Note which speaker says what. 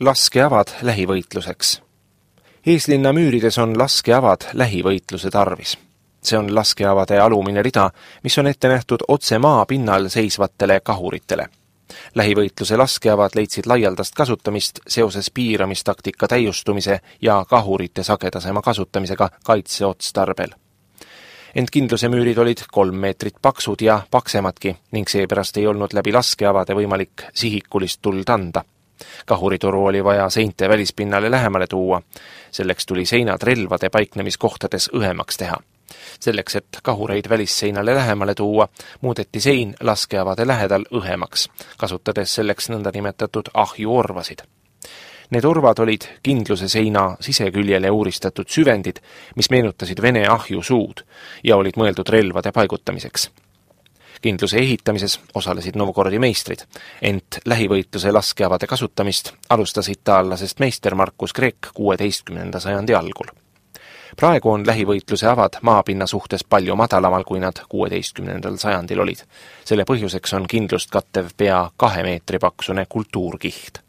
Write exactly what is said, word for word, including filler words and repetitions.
Speaker 1: Laskeavad lähivõitluseks. Eeslinna müürides on laskeavad lähivõitluse tarvis. See on laskeavade alumine rida, mis on ette nähtud otse maa pinnal seisvatele kahuritele. Lähivõitluse laskeavad leidsid laialdast kasutamist seoses piiramistaktika täiustumise ja kahurite sagedasema kasutamisega kaitseotstarbel. Ent kindluse müürid olid kolm meetrit paksud ja paksemadki ning seepärast ei olnud läbi laskeavade võimalik sihikulist tuld anda. Kahuritoru oli vaja seinte välispinnale lähemale tuua. Selleks tuli seinad relvade paiknemiskohtades õhemaks teha. Selleks, et kahureid välisseinale lähemale tuua, muudeti sein laskeavade lähedal õhemaks, kasutades selleks nõndanimetatud ahjuorvasid. Need orvad olid kindluse seina siseküljele uuristatud süvendid, mis meenutasid Vene ahjusuud ja olid mõeldud relvade paigutamiseks. Kindluse ehitamises osalesid Novgorodi meistrid, ent lähivõitluse laskeavade kasutamist alustas itaallasest meister Markus Kreek kuueteistkümnenda sajandi algul. Praegu on lähivõitluse avad maapinna suhtes palju madalamal, kui nad kuueteistkümnendal sajandil olid. Selle põhjuseks on kindlust kattev pea kahe meetri paksune kultuurkiht.